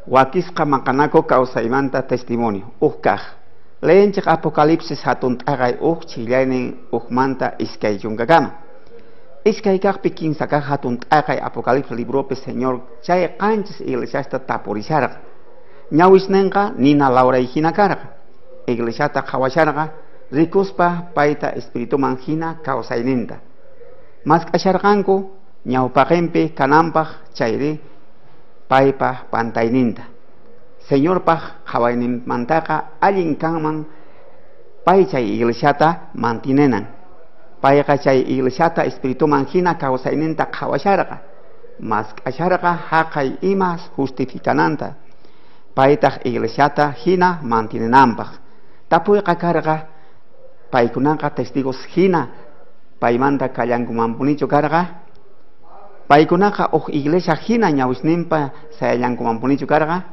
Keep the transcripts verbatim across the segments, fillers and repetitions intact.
Wakisqa maqanaku kawsaymanta testimonio uj kaq. Leenchik Apocalipsis hatun t'aqay uj chillaynin ujmanta iskay chunkakama. Iskay kaqpi kinsa kaq hatun t'aqay Apocalipsis libropi Señor chay qanchis iglesiasta tapurisharqa. Ñawisninqa nina lawray hina karqa. Iglesiata qhawasharqa rikuspa payta espirituman hina kawsayninta. Mask'asharqanku ñawpaqinpi kananpaq chayri paypa pantayninta. Señorpaq qhawayninmantaqa allin kanman pay chay iglesiata mantinenan. Payqa chay iglesiata espirituman hina kawsayninta qhawasharqa. Mask'asharqa haqay imas justificananta. Paytaq iglesiata hina mantinenanpaq. Tapuyqa karqa paykunaqa testigos hina paymanta kallankumanpunichu karqa. Paykunaqa uj iglesia hina ñawisninpa sayallankumanpunichu karqa.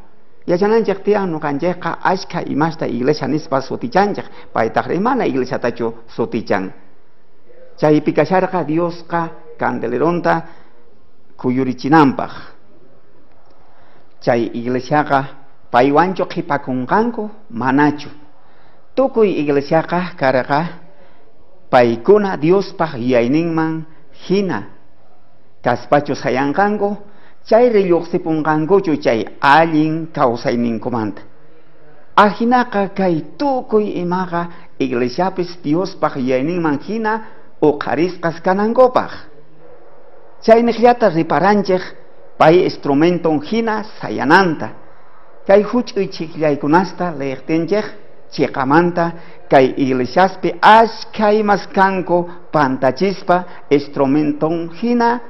Yachananchik tiyan nuqanchikqa ashka imasta iglesia nispa sutichanchik, paytaqri mana iglesiatachu sutichan. Chaypi kasharqa Diosqa candeleronta kuyurichinanpaq. Chay iglesiaqa paywanchu qhipakunqanku manachu. Tukuy iglesiaqa karqa paykuna Diospaq yuyayninman hina kaspachu sayanqanku, chayri lluqsipunqankuchu chay allin kawsayninkumanta. Ajinaqa kay tukuy imaqa iglesiapis Diospaq yuyayninman hina uqharisqas kanankupaq. Chayniqllata riparanchik pay instrumenton hina sayananta. Kay huch'uy chiqllaykunasta leeqtinchik chiqamanta kay iglesiaspi ashka imas kanku pantachispa instrumenton hina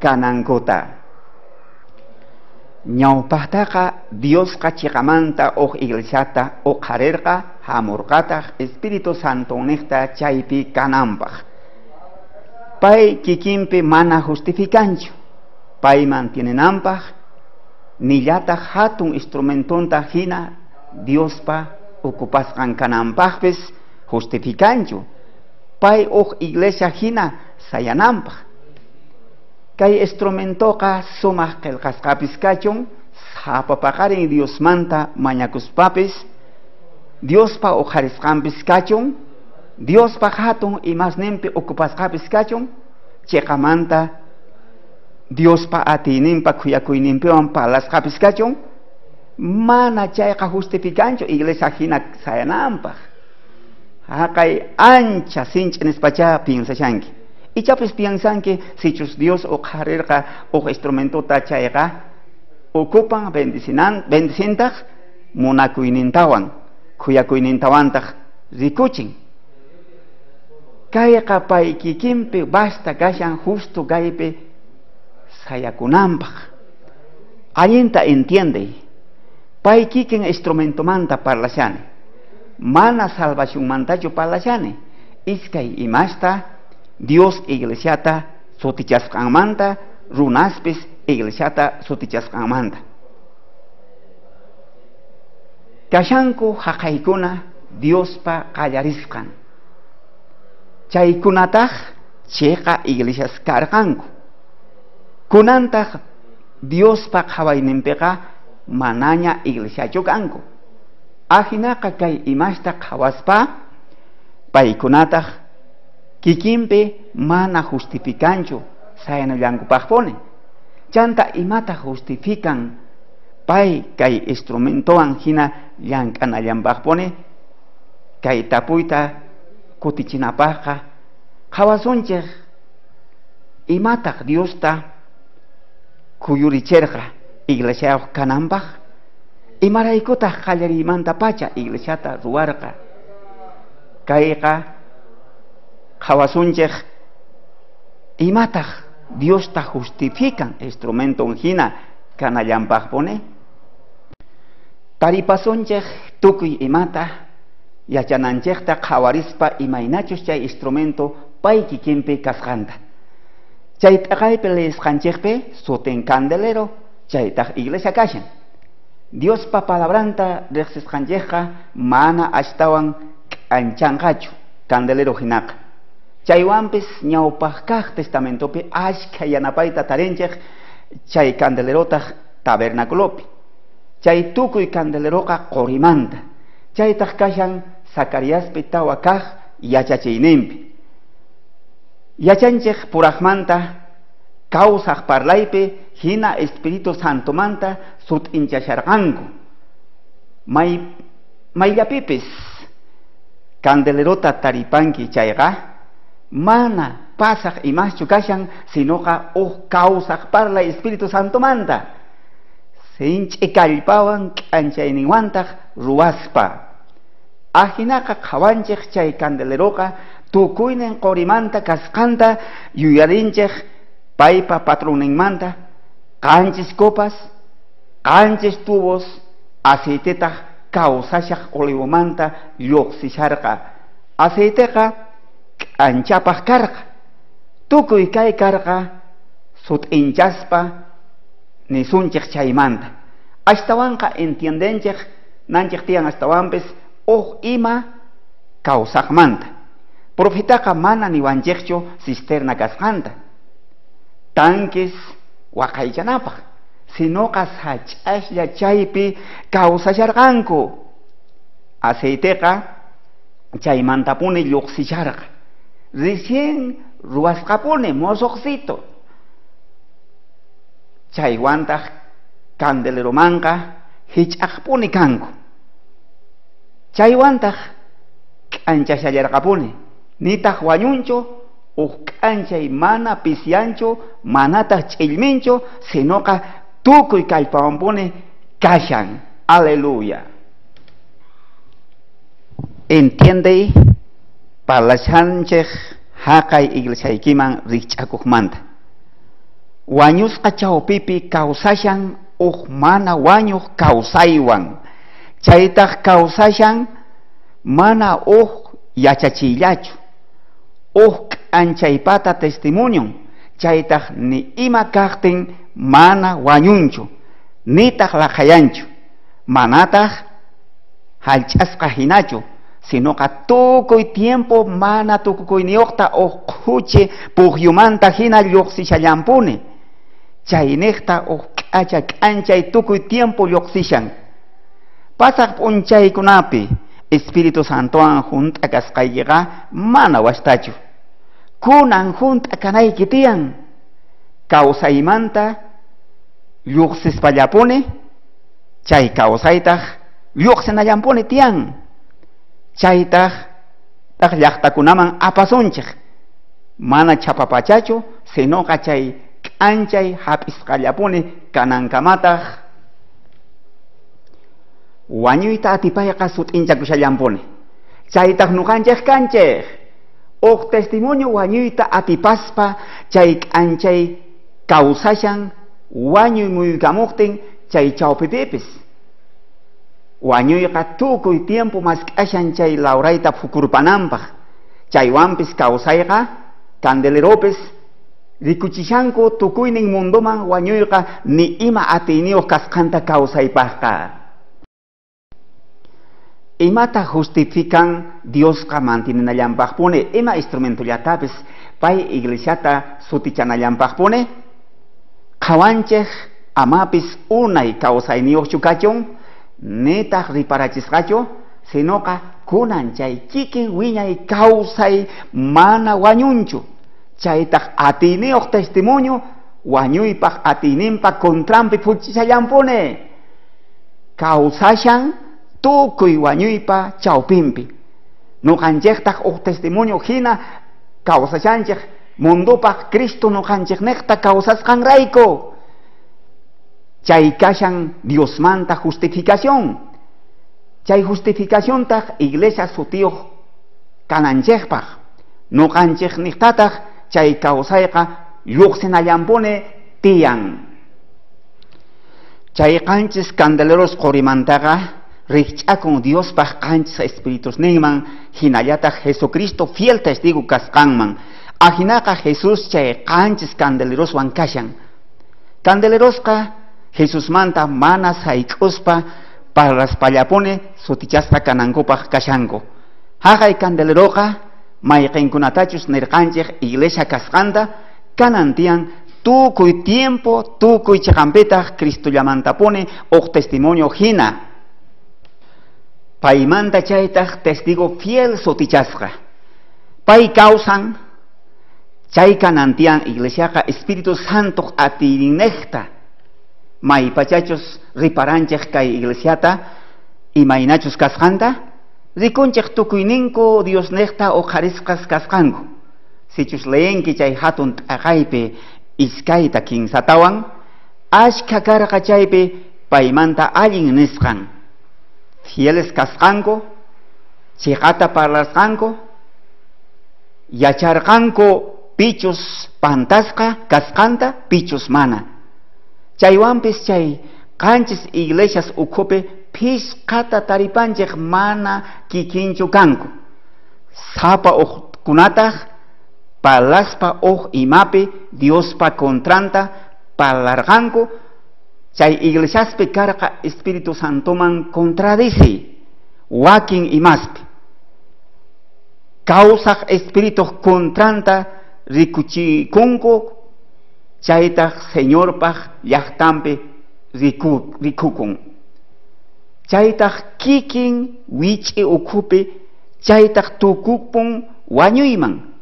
kanankuta. Ñawpaqtaqa Diosqa chiqamanta uj iglesiata uqharirqa hamurqataq Espíritu Santoniqta chaypi kananpaq. Pay kikinpi mana justificanchu, pay mantienenanpaq nillataq hatun instrumentonta hina Diospa ocupasqan kananpaqpis justificanchu, pay uj iglesia hina sayananpaq. Kay instrumentoqa sumaq qillqasqapis kachun, sapa paqarin Diosmanta mañakuspapis, Diospa uqharisqanpis kachun, Diospa hatun imasninpi ocupasqapis kachun, chiqamanta Diospa atiyninpa khuyakuyninpiwan parlasqapis kachun, mana chayqa justificanchu iglesia hina sayananpaq. Haqay ancha sinch'i nispacha piensashanki. Ichapis piensanki sichus Dios uqharirqa uj instrumentota chayqa ocupan bendicinan bendicintaq munakuynintawan khuyakuynintawan rikuchin. Kayqa pay kikinpi basta kashan justo kaypi sayakunanpaq. Allinta entiende. Pay kikin instrumentomanta parlashani. Mana salvacionmantachu parlashani. Iskay imasta Dios iglesiata sutichasqanmanta, runaspis iglesiata sutichasqanmanta. Kashanku haqaykuna Diospa qallarisqan. Chaykunataq chiqa iglesias karqanku. Kunantaq Diospa qhawayninpiqa manaña iglesiachu kanku. Ajinaqa kay imasta qhawaspa paykunataq kikinpi mana justificanchu sayanallankupaqpuni. Chanta imata justifican pay kay instrumentowan hina llank'anallanpaqpuni. Kay tapuyta kutichinapaqqa qhawasunchik imataq Diosta kuyurichirqa iglesiayuq kananpaq, imaraykutaq qallariymantapacha iglesiata ruwarqa. Kayqa qhawasunchik imataq Diosta justifican instrumenton hina kanallanpaqpuni. Taripasunchik tukuy imata yachananchikta qhawarispa imaynachus chay instrumento pay kikinpi kasqanta. Chay t'aqaypi leesqanchikpi sutin candelero, chaytaq iglesia kashan. Diospa palabranta riqsisqanchikqa mana ashtawan k'anchanqachu candelero hinaqa. Chaywanpis ñawpaq kaq testamentopi ashka yanapayta tarinchik chay candelerotaq tabernaculopi. Chay tukuy candeleroqa qorimanta. Chaytaq kashan Zacariaspi tawa kaq yachachiyninpi. Yachanchej purajmanta kawsaj parlaypi hina Espíritu Santomanta sut'inchasharqanku. May mayllapipis candelerota taripanki chayqa mana pasaj imaschu kashan, sinoqa uj kawsaj parlay Espíritu Santomanta. Sinch'i kallpawan k'anchayninwantaq ruwaspa. Ajinaqa qhawanchej chay candeleroqa tukuynin qorimanta kasqanta yuyarinchej paypa patronninmanta qanchis copas, qanchis tubos aceitetaq kawsashaq olivomanta lluqsisharqa. Aceiteqa k'anchapaq karqa. Tukuy kay karqa sut'inchaspa nisunchej chaymanta. Ashtawanqa entiendenchej nanchej tiyan ashtawanpis uj ima kawsaqmanta. Profetaqa mana niwanchejchu cisterna kasqanta, tanques waqaychanapaq, sinoqa sach'aslla chaypi kawsasharqanku. Aceiteqa chaymantapuni lluqsisharqa. Recién ruwasqapuni mosoqsito. Chaywantaq candeleromanqa hich'aqpuni kanku. Chaywantaq k'anchashallarqapuni. Nitaq wañunchu, uj k'anchay mana pisyanchu, manataq ch'illminchu, sinoqa tukuy kallpawanpuni kashan. Aleluya. Entiende parlashanchej haqay iglesiaykiman rikch'akuqmanta. Wañusqa chawpipi kawsashan uj mana wañuq kawsaywan. Chaytaq kawsashan mana uj yachachiyllachu, uj k'anchaypata testimonion. Chaytaq ni ima kaqtin mana wañunchu, nitaq laqhayanchu, manataq hallch'asqa hinachu, sinoqa tukuy tiempo mana tukukuyniyuqta uj qhuchi pukyumanta hina lluqsishallampuni. Chayniqta uj k'acha k'anchay tukuy tiempo lluqsishan. Pasaq p'unchaykunapi Espíritu Santowan junt'a kasqaykiqa mana wastachu. Kunan junt'a kanayki tiyan. Kawsaymanta lluqsispallapuni, chay kawsaytaq lluqsinallampuni tiyan. Chaytaq taq llaqtakunaman apasunchej. Mana chapapachachu, sinoqa chay k'anchay hap'isqallapuni kanankamataq wañuyta atipayqa sut'inchakushallampuni. Chaytaq nuqanchej kanchej. Uj testimonio wañuyta atipaspa chay k'anchay kawsashan wañuy muyukamuqtin chay chawpipipis. Wañuyqa tukuy tiempo mask'ashan chay lawrayta phukurpananpaq. Chaywanpis kawsayqa candeleropis rikuchishanku tukuynin mundoman wañuyqa ni ima atiyniyuq kasqanta kawsaypaqqa. Imata justifican Diosqa mantinenallanpaqpuni, ima instrumentollatapis pay iglesiata sutichanallanpaqpuni? Qhawanchej amapis unay kawsayniyuqchu kachun, nitaq riparachisqachu, sinoqa kunan chay kikin wiñay kawsay mana wañunchu. Chaytaq atiyniyuq testimonio wañuypaq atiyninpa contranpi phuchishallampuni. Kawsashan tukuy wañuypa chawpinpi. Nuqanchejtaq uj testimonio hina kawsashanchej mundopaq Cristo nuqanchejnejta kawsasqanrayku. Chay kashan Diosmanta justificación. Chay justificaciontaq iglesia sutiyuq kananchejpaq. Nuqanchejniqtataq chay kawsayqa lluqsinallampuni tiyan. Chay qanchis candeleros qorimantaqa rikch'akun Diospaq qanchis espiritusninman, hinallataq Jesucristo fiel testigo kasqanman. Ajinaqa Jesús chay qanchis candeleroswan kashan. Candelerosqa Jesusmanta mana sayk'uspa parlaspallapuni sutichasqa kanankupaq kashanku. Haqay candeleroqa mayqinkunatachus nirqanchej iglesia kasqanta kanan tiyan Tukuy tiempo, tukuy chiqanpitaq Cristollamantapuni uj testimonio hina. Paymanta chaytaq testigo fiel sutichasqa. Pay kawsan chay kanantian iglesiaqa Espíritu Santo atiyninejta. Maypachachus riparanchej kay iglesiata imaynachus kasqanta rikunchej tukuyninku Diosnejta uqharisqas kasqanku. Sichus leenki chay hatun t'aqaypi iskayta kinsatawan ashkha karqa chaypi paymanta allin nisqan. Fieles kasqanku, chiqata parlasqanku, yacharqanku pichus pantasqa kasqanta, pichus mana. Chaywanpis chay qanchis iglesias ukhupi phishqata taripanchej mana kikinchu kanku. Sapa uqkunataq parlaspa uj imapi Diospa kontranta parlarqanku. Chay iglesiaspi karqa Espíritu Santoman contradici wakin imaspi. Kawsaj Espíritu kontranta rikuchikunku, chaytaj Señorpaj llajtanpi riku, rikukun. Chaytaj kikin wich'i ukhupi, chaytaj tukupun wañuyman.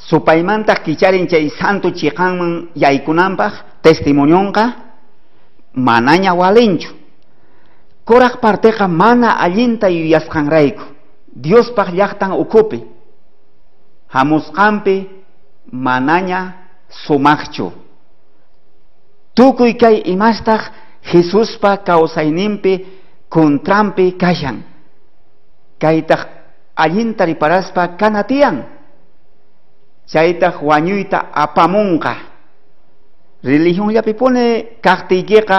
Supaymantaq kicharin chay santo chiqanman yaykunanpaq testimonionqa manaña walinchu. Kuraq parteqa mana allinta yuyasqanrayku Diospaq llaqtan ukhupi hamusqanpi manaña sumaqchu. Tukuy kay imastaq Jesuspa kawsayninpi contranpi kashan. Kaytaq allinta riparaspa kanatiyan. Chaytaq wañuyta apamunqa. Religionllapipuni kaqtiykiqa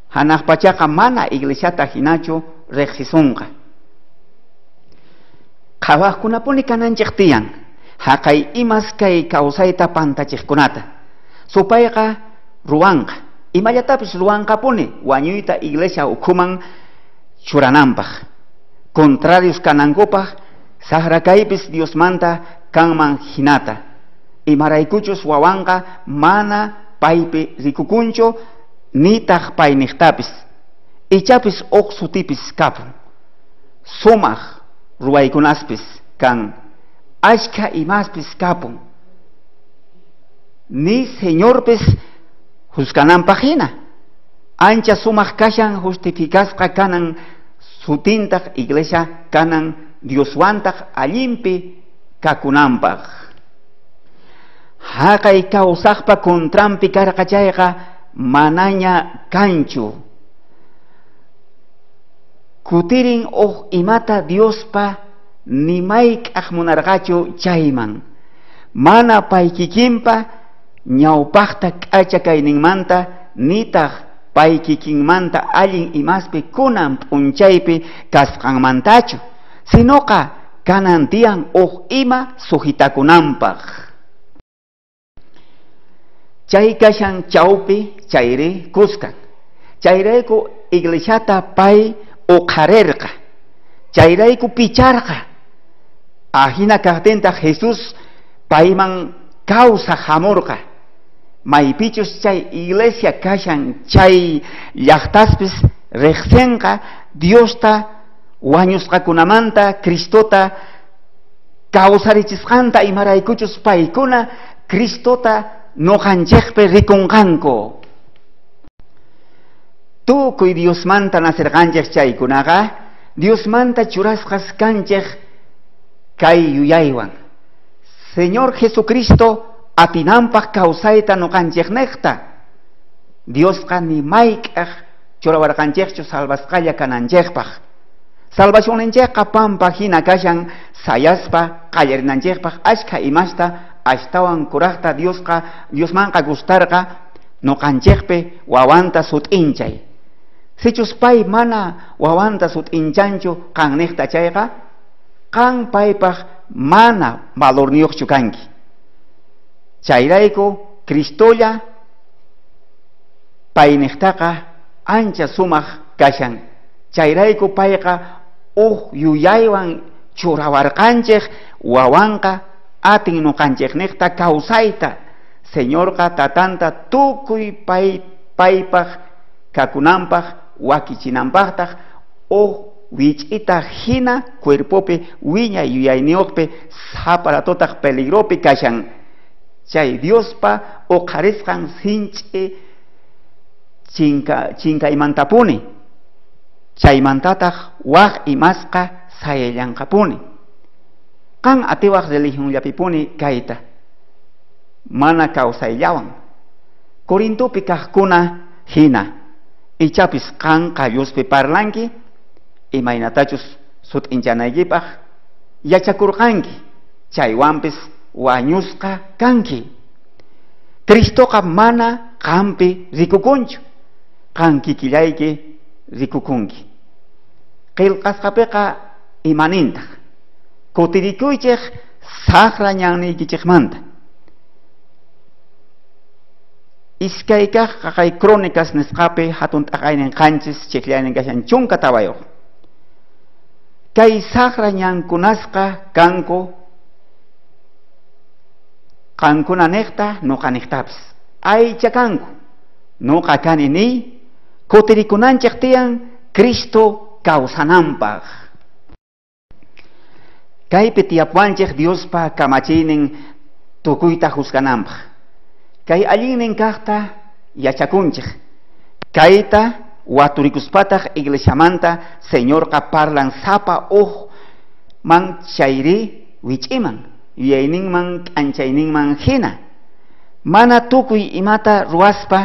hanaq pachaqa mana iglesiata hinachu riqsisunqa. Qhawaqkunapuni kananchik tiyan haqay imas kay kawsayta pantachiqkunata. Supayqa ruwanqa, imallatapis ruwanqapuni wañuyta iglesia ukhuman churananpaq. Contrarios kanankupaq saqra kaypis Diosmanta kanman hinata. Imaraykuchus wawanqa mana paypi rikukunchu nitaq payniqtapis. Ichapis uq sutipis kapun. Sumaq ruwaykunaspis kan. Ashkha imaspis kapun. Ni Señorpis juzgananpaq hina. Ancha sumaq kashan justificasqa kanan sutintaq iglesia kanan Dioswantaq allinpi kakunanpaq. Haqay kawsaqpa contranpi karqa chayqa manaña kanchu. Kutirin uj imata Diospa ni mayk'aj munarqachu chayman. Mana pay kikinpa ñawpaqta k'acha kayninmanta nitaq pay kikinmanta allin imaspi kunan p'unchaypi kasqanmantachu, sinoqa kanan tiyan uj ima sujitakunanpaq. Chay kashan chawpi chayri kuskan. Chayrayku iglesiata pay uqharerqa. Chayrayku picharqa. Ajina kaqtintaq Jesús payman kawsaq hamurqa. Maypichus chay iglesia kashan chay llaqtaspis riqsinqa Diosta wañusqakunamanta Cristota kawsarichisqanta imaraykuchus paykuna Cristota noqanchikpi rikunqanku. Tukuy Diosmanta nacerqanchik chaykunaqa Diosmanta churasqas kanchik kay yuyaywan. Señor Jesucristo atinanpaq kawsayta noqanchiknejta. Diosqa ni mayk'aj churawarqanchikchu salvasqalla kananchikpaq. Salvacionninchikqa pampa hina kashan sayaspa qallarinanchikpaq ashkha imasta ashtawan kuraqta Diosqa Diosmanqa gustarqa noqanchikpi wawanta sut'inchay. Sichus pay mana wawanta sut'inchanchu qanniqta chayqa qan paypaq mana valorniyuqchu kanki. Chayrayku Cristolla payniqtaqa ancha sumaq kashan. Chayrayku payqa uj yuyaywan churawarqanchik wawanqa atin noqanchejnejta kawsayta. Señorqa tatanta tukuy pay paypaj kakunanpaj wakichinanpajtaj uj wich'ita hina cuerpopi wiña yuyayniyuqpi saparatotaq peligropi kashan. Chay Diospa uqharisqan sinch'i chinka chinkaymantapuni chaymantataq waj imasqa sayallanqapuni. Qan atiwaj religionllapipuni kayta mana kawsayllawan. Corintopi kajkuna hina ichapis qan qalluspi parlanki imaynatachus sut'inchanaykipaj yachakurqanki chaywanpis wañusqa kanki. Cristoqa mana qampi rikukunchu, qan kikillayki rikukunki. Qillqasqapiqa imanintaq kutirikuychej saqra ñanniykichejmanta. Iskay kaq qaqay Crónicas nisqapi hatun t'aqaynin qanchis chiklaynin kashan chunka tawayuq. Kay saqra ñankunasqa kanku qankuna niqta nuqa niqtapis aycha kanku nuqa kani niy kutirikunanchej tiyan Cristo kawsananpaj. Kaypi tiyapuwanchej Diospa kamachiynin tukuyta juzgananpaj. Kay allinnin kajta yachakunchej. Kayta waturikuspataq iglesiamanta Señorqa parlan sapa uj man chayri wich'iman yuyayninman k'anchayninman hina. Mana tukuy imata ruwaspa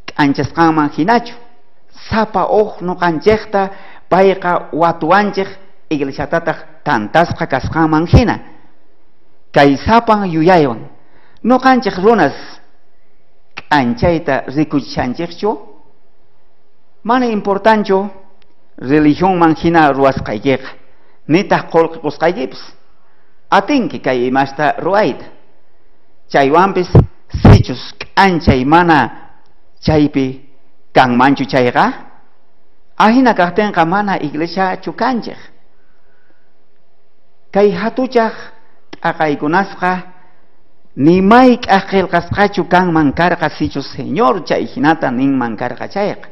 k'anchasqanman hinachu. Sapa uj nuqanchejta payqa watuwanchej iglesiatataq tantasqa kasqanman hina. Kay sapan yuyaywan nuqanchej runas k'anchayta rikuchishanchejchu. Mana importanchu religionman hina ruwasqaykiqa nitaq qullqi qusqaykipis atinki kay imasta ruwayta. Chaywanpis sichus k'anchay mana chaypi kanmanchu chayqa ahina kajtinqa mana iglesiachu kanchej. Kay hatuchaj t'aqaykunasqa ni mayk'aj qillqasqachu kanman karqa sichus Señor chay hinata ninman karqa chayqa.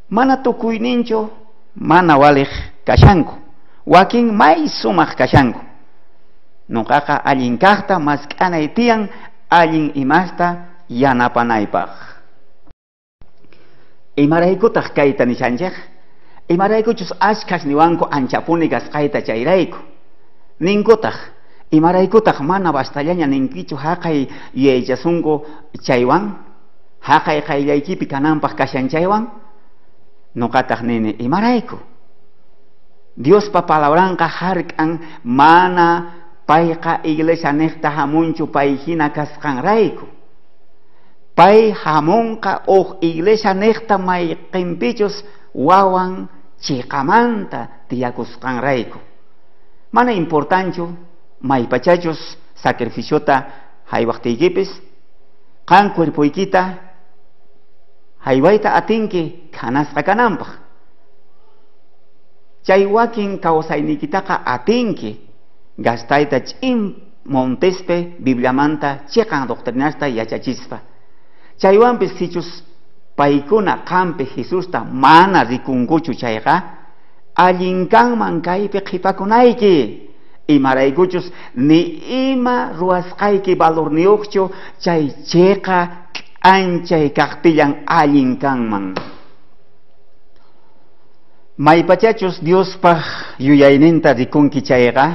Mana tukuyninchu mana walej kashanku, wakin may sumaq kashanku. Nuqaqa allin kajta mask'anay tiyan allin imasta yanapanaypaj. Imaraykutaq kayta nishanchej? Imaraykuchus ashkhas niwanku anchapuni kasqayta chayrayku. Ninkutaq imaraykutaq mana bastallaña ninkichu haqay yuyaychasunku chaywan, haqay qayllaykipi kananpaj kashan chaywan. Nuqataq nini imarayku. Diospa palabranqa hark'an mana payqa iglesia niqta hamunchu pay hina kasqanrayku. Pay hamunqa uj iglesia niqta mayqinpichus wawan chiqamanta tiyakusqanrayku. Mana importanchu maypachachus sacrificiota haywaqtiykipis qan cuerpoykita haywayta atinki khanasqa kananpaj. Chay wakin kawsayniykitaqa atinki gastayta ch'in montespe Bibliamanta chiqan doctrinasta yachachispa. Chaywanpis sichus paykuna qampi Jesusta mana rikunkuchu chayqa allin kanman kaypi qhipakunayki. Imaraykuchus ni ima ruwasqayki valorniyuqchu chay chiqa k'anchay kaqtillan allin kanman. Maypachachus Diospaj yuyayninta rikunki chayqa,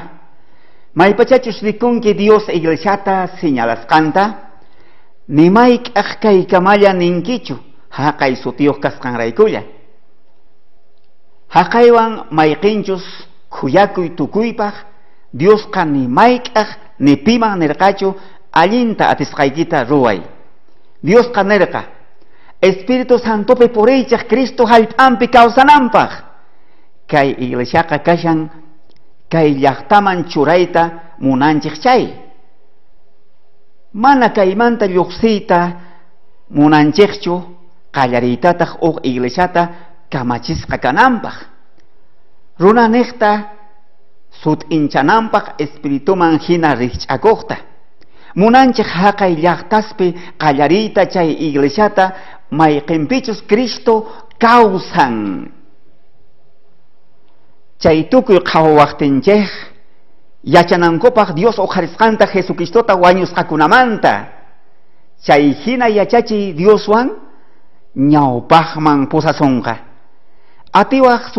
maypachachus rikunki Dios iglesiata señalasqanta, ni mayk'aj kaykamalla ninkichu haqay sutiyuq kasqanraykulla. Haqaywan mayqinchus khuyakuy tukuypaj Diosqa ni mayk'aj ni piman nirqachu allinta atisqaykita ruway. Diosqa nirqa Espíritu Santopi puriychej Cristo hallp'anpi kawsananpaj. Kay iglesiaqa kashan kay llaqtaman churayta munanchej chay. Mana kaymanta lluqsiyta munanchejchu qallariytataq uj iglesiata kamachisqa kananpaj. Runaniqta Sut'inchananpaj espirituman hina rijch'akojta. Munanchej haqay llaqtaspi qallariyta chay iglesiata mayqinpichus Cristo kawsan. Chay tukuy qhawawajtinchej yachanankupaj Dios uqharisqanta Jesucristota wañusqakunamanta. Chay hina yachachiy Dioswan ñawpajman pusasonqa. Atiwaj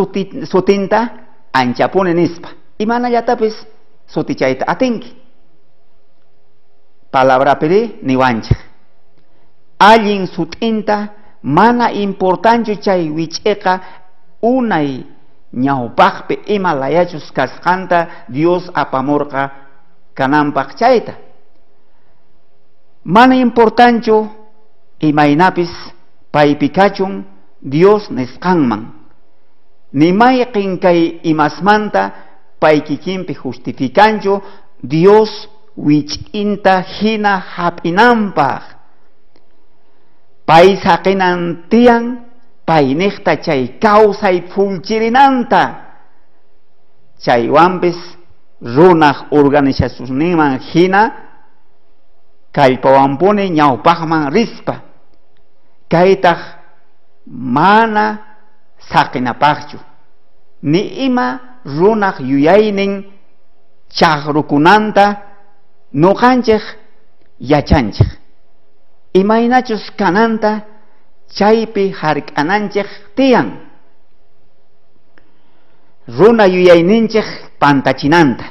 sutinta anchapuni nispa. Imanallatapis sutichayta atinki. Palabrapiri niwanchej. Allin sutinta mana importanchu chay wich'eqa unay ñawpajpi ima layachus kasqanta Dios apamurqa kananpaj chayta. Mana importanchu imaynapis paypi kachun Dios nisqanman. Ni mayqin kay imasmanta pay kikinpi justificanchu Dios wich'inta hina hap'inanpaj. Pay saqinan tiyan payniqta chay kawsay phullchirinanta. Chaywanpis runaj organizacionninman hina kallpawanpuni ñawpajman rispa. Kaytaj mana saqinapajchu. Ni ima runaj yuyaynin chaqrukunanta noqanchej yachanchej. Imaynachus kananta chaypi hark'ananchej tiyan. Runa yuyayninchej pantachinanta.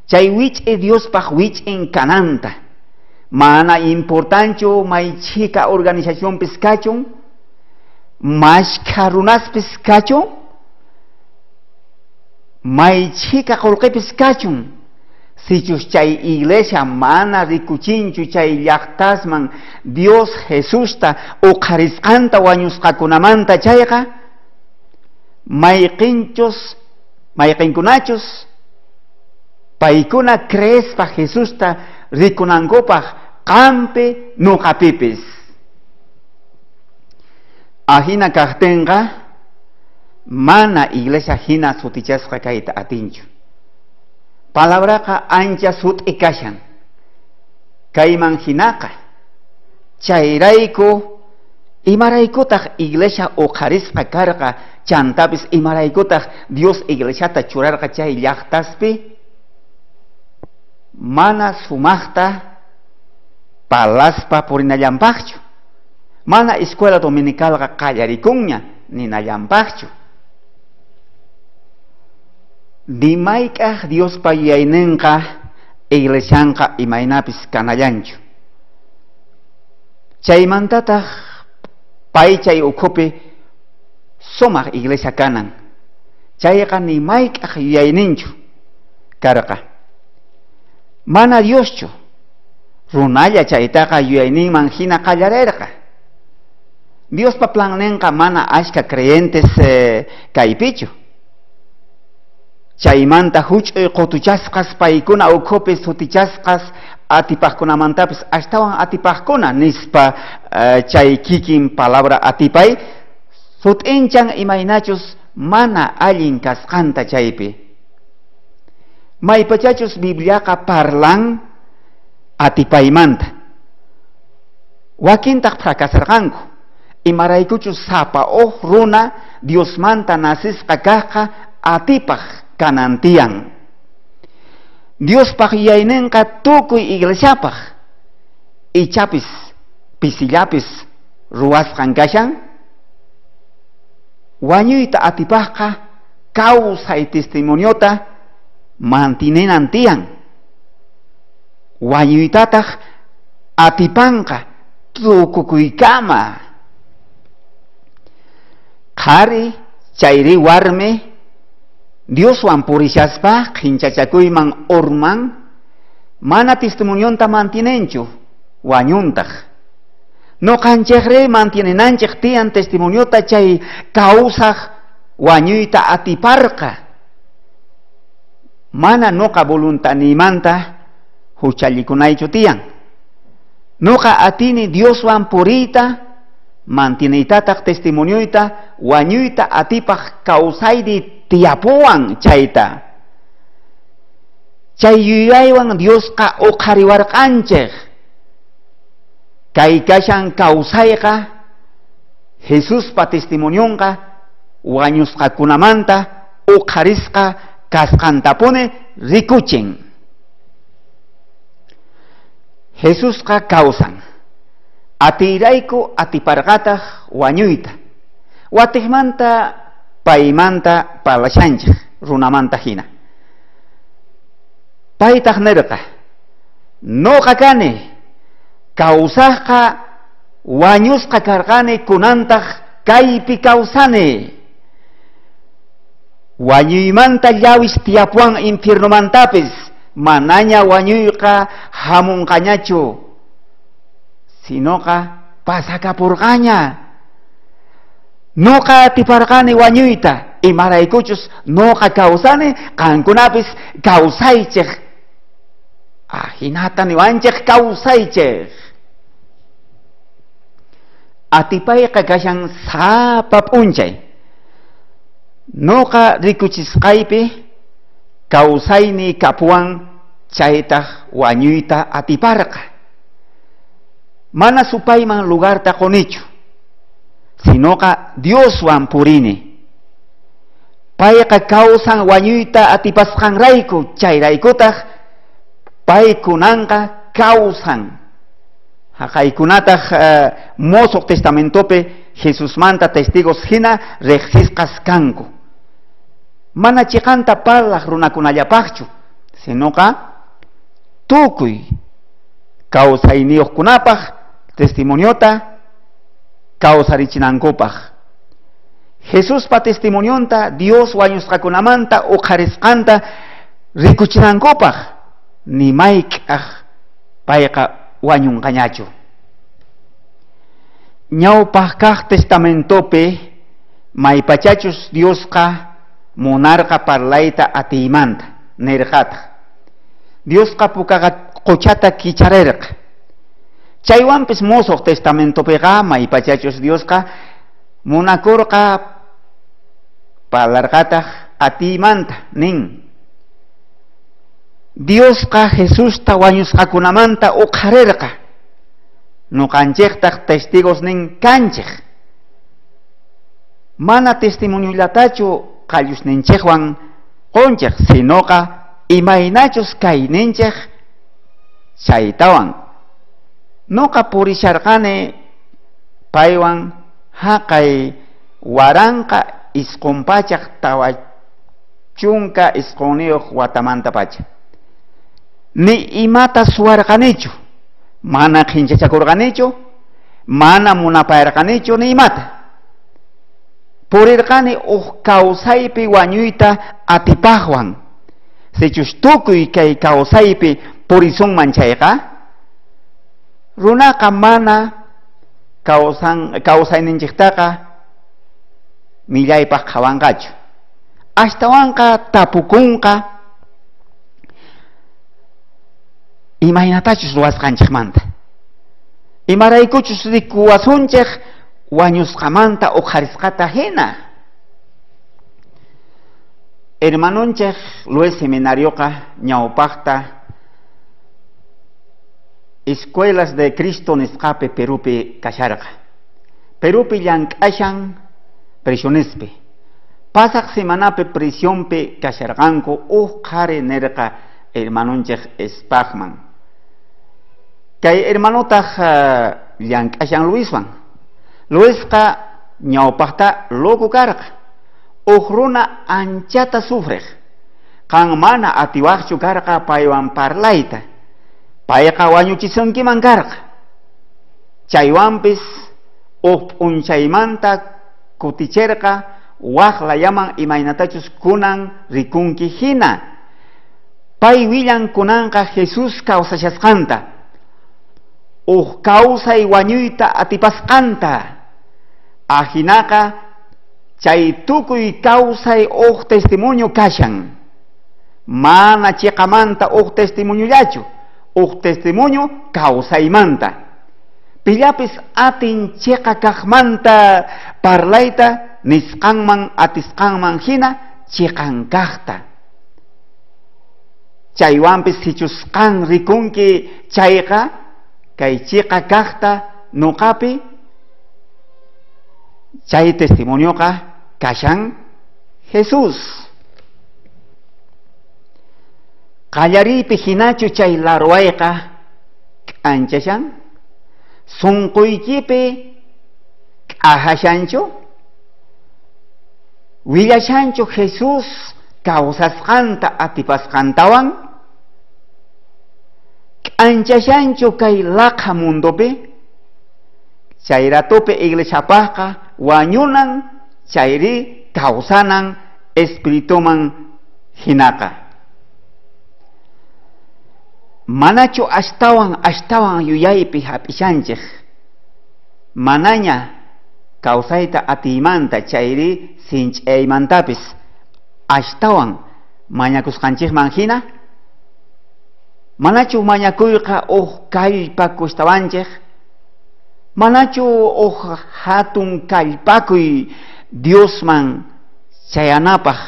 Chay wich'i Diospaj wich'in kananta. Mana importanchu may chhika organizacionpis kachun, mashkha runaspis kachun, may chhika qullqipis kachun. Sichus chay iglesia mana rikuchinchu chay llaqtasman Dios Jesusta uqharisqanta wañusqakunamanta chayqa, mayqinchus mayqinkunachus paykuna creespa Jesusta rikunankupaj qampi nuqapipis. Ajina kajtinqa mana iglesia hina sutichasqa kayta atinchu. Palabraqa ancha sut'i kashan. Kayman hinaqa. Chayrayku imaraykutaq iglesia uqharisqa karqa chantapis imaraykutaq Dios iglesiata churarqa chay llaqtaspi mana sumaqta palaspa purinallanpaqchu. Mana escuela dominicalqa qallarikunña ninallanpaqchu. Ni mayk'aj Diospa yuyayninqa iglesianqa imaynapis kanallanchu. Chaymantataq pay chay ukhupi sumaq iglesia kanan. Chayqa ni mayk'aj yuyayninchu karqa. Mana Dioschu runalla chaytaqa yuyayninman hina qallarerqa. Diospa planninqa mana ashka creyentes eh, kaypichu. Chaymanta huch'uy qutuchasqas paykuna ukhupi sutichasqas atipajkunamantapis astawan atipajkuna nispa uh, chay kikin palabra atipay sut'inchan imaynachus mana allin kasqanta chaypi. Maypachachus Bibliaqa parlan atipaymanta. Wakintaq fracasarqanku. Imaraykuchus sapa uj runa Diosmanta nasisqa kajqa atipaj kanantiyan. Diospaj yuyayninqa tukuy iglesiapaj. Ichapis pisillapis ruwasqan kashan. Wañuyta atipajqa kawsay testimoniota mantinenan tiyan. Wañuytataq atipanqa tukukuykama. Qhari chayri warmi Dioswan purishaspa qhinchachakuyman urman mana testimonionta mantinenchu wañuntaq. Noqanchejri mantinenanchej tiyan testimoniota chay kawsaj wañuyta atiparqa. Mana noqa voluntanimanta huchallikunaychu tiyan. Noqa atini Dioswan puriyta mantineytataq testimonioyta wañuyta atipaj kawsayri tiyapuwan chayta. Chay yuyaywan Diosqa uqhariwarqanchej. Kay kashan kawsayqa Jesuspa testimonionqa wañusqakunamanta uqharisqa kasqantapuni rikuchin. Jesusqa kawsan. Atiyrayku atiparqataq wañuyta. Watiqmanta paymanta parlashanchej runamanta hina. Paytaq nirqa, noqa kani, kawsaqqa wañusqa karqani kunantaq kaypi kawsani. Wañuymanta llawis tiyapuwan infiernomantapis, manaña wañuyqa hamunqañachu, sinoqa pasakapurqaña. Noqa atiparqani wañuyta, imaraykuchus noqa kawsani, qankunapis kawsaychej. Ajinata niwanchej kawsaychej. Atipayqa kashan sapa p'unchay. Noqa rikuchisqaypi kawsayni kapuwan chaytaq wañuyta atiparqa. Mana supayman lugarta qunichu, sinoqa Dioswan purini. Payqa kawsan wañuyta atipasqanrayku, chayraykutaq paykunanqa kawsan. Haqaykunataq uh, Mosoq Testamentopi Jesusmanta testigos hina riqsisqas kanku. Mana chiqanta parlaq runakunallapaqchu, sinoqa tukuy kawsayniyuqkunapaq testimoniota kawsarichinankupaq. Jesuspa testimonionta Dios wañusqakunamanta uqharisqanta rikuchinankupaq ni mayk'aq payqa wañunqañachu. Ñawpaq kaq testamentopi maypachachus Diosqa munarqa parlayta atiymanta nirqataq. Diosqa pukaqa qochata kicharerqa. Chaywanpis Mosoq Testamentopiqa maypachachus Diosqa munakurqa parlarqataq atiymanta nin. Diosqa Jesusta wañusqakunamanta uqharirqa. Nuqanchejtaq testigos nin kanchej. Mana testimoniolatachu qallusninchejwan qonchej, sinoqa imaynachus kayninchej chaytawan. Noqa purisharqani paywan haqay waranqa isqun pachaq tawa chunka isqunniyuq watamanta pacha. Ni imata suwarqanichu, mana qhinchachakurqanichu, mana munapayarqanichu ni imata. Purirqani uj kawsaypi wañuyta atipaqwan. Sichus tukuy kay kawsaypi purisunman chayqa, runaqa mana kawsan kawsayninchiktaqa millaypaq qhawanqachu. Ashtawanqa tapukunqa imaynatachus ruwasqanchikmanta. Imaraykuchus rikuwasunchik wañusqamanta uqharisqata hina. Hermanonchik Luis Seminarioqa ñawpaqta Escuelas de Cristo nisqapi Perupi kasharqa. Perupi llank'ashan prisionespi. Pasaq semanapi prisionpi kasharqanku uj qhari nirqa hermanonchik Spachman. Kay hermanotaq uh, llank'ashan Luiswan. Luisqa ñawpaqta loco karqa. Uj runa anchata sufriq. Qan mana atiwaqchu karqa paywan parlayta. Payqa wañuchisunkiman karqa. Chaywanpis uj p'unchaymanta kuticherqa waq layaman imaynatachus kunan rikunki hina. Pay willan kunanqa Jesús kawsashasqanta. Uj kawsay wañuyta atipasqanta. Ajinaqa chay tukuy kawsay uj testimonio kashan. Mana chiqamanta uj testimoniollachu, uj testimonio kawsaymanta. Pillapis atin chiqa kaqmanta parlayta nisqanman atisqanman hina chiqan kaqta. Chaywanpis sichus qan rikunki chayqa kay chiqa kaqta nuqapi chay testimonioqa kashan Jesús. Qallariypi hinachu chay larwayqa k'anchashan? Sunquykipi k'ajashanchu? Willashanchu Jesús kawsasqanta atipasqantawan? K'anchashanchu kay laqha mundopi? Chay ratopi iglesiapaqqa wañunan chayri kawsanan espirituman hinaqa. Manachu ashtawan ashtawan yuyaypi hap'ishanchik manaña kawsayta atiymanta chayri sinch'aymantapis ashtawan mañakusqanchikman hina? Manachu mañakuyqa uj kallpakushtawanchik? Manachu uj hatun kallpakuy Diosman chayanapaq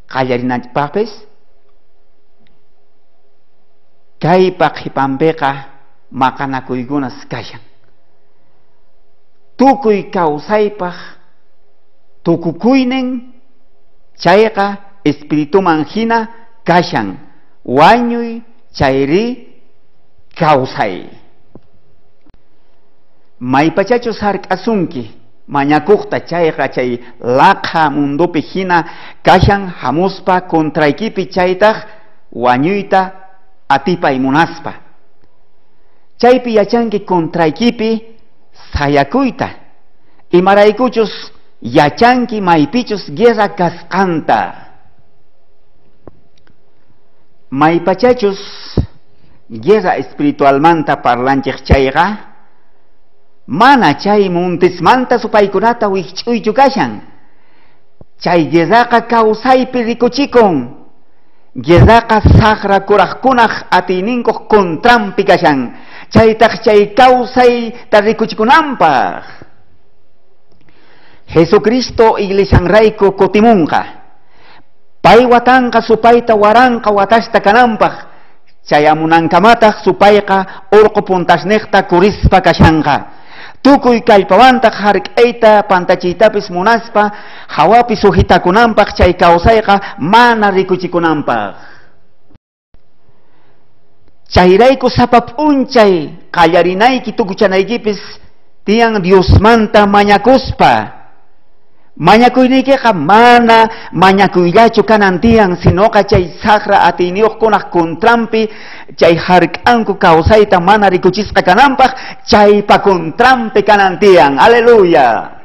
qallarinanchikpaqpis? Kaypa qhipanpiqa maqanakuykunas kashan. Tukuy kawsaypaq tukukuynin chayqa espirituman hina kashan wañuy chayri kawsay. Maypachachus hark'asunki mañakuqta chayqa chay laqha mundopi hina kashan hamuspa contraykipi chaytaq wañuyta atipay munaspa. Chaypi yachanki contraykipi sayakuyta, imaraykuchus yachanki maypichus guerra kasqanta. Maypachachus guerra espiritualmanta parlanchik chayqa mana chay montismanta supaykunata wikch'uychu kashan. Chay guerraqa kawsaypi rikuchikun. Guerraqa saqra kuraqkunaq atiyninkuq contranpi kashan. Chaytaq chay kawsayta rikuchikunanpaq. Jesucristo iglesianrayku kutimunqa. Pay watanqa supayta waranqa watasta kananpaq. Chayamunankamataq supayqa urqu puntasniqta kurispa kashanqa. Tukuy kallpawantaq hark'ayta pantachiytapis munaspa hawapi sujitakunanpaq chay kawsayqa mana rikuchikunanpaq. Chayrayku sapa p'unchay qallarinayki tukuchanaykipis tiyan Diosmanta mañakuspa. Mañakuyniykiqa mana mañakuyllachu kanan tiyan, sinoqa chay saqra atiyniyuqkunaq contranpi chay hark'anku kawsayta mana rikuchisqa kananpaq chaypa contranpi kanan tiyan. Aleluya.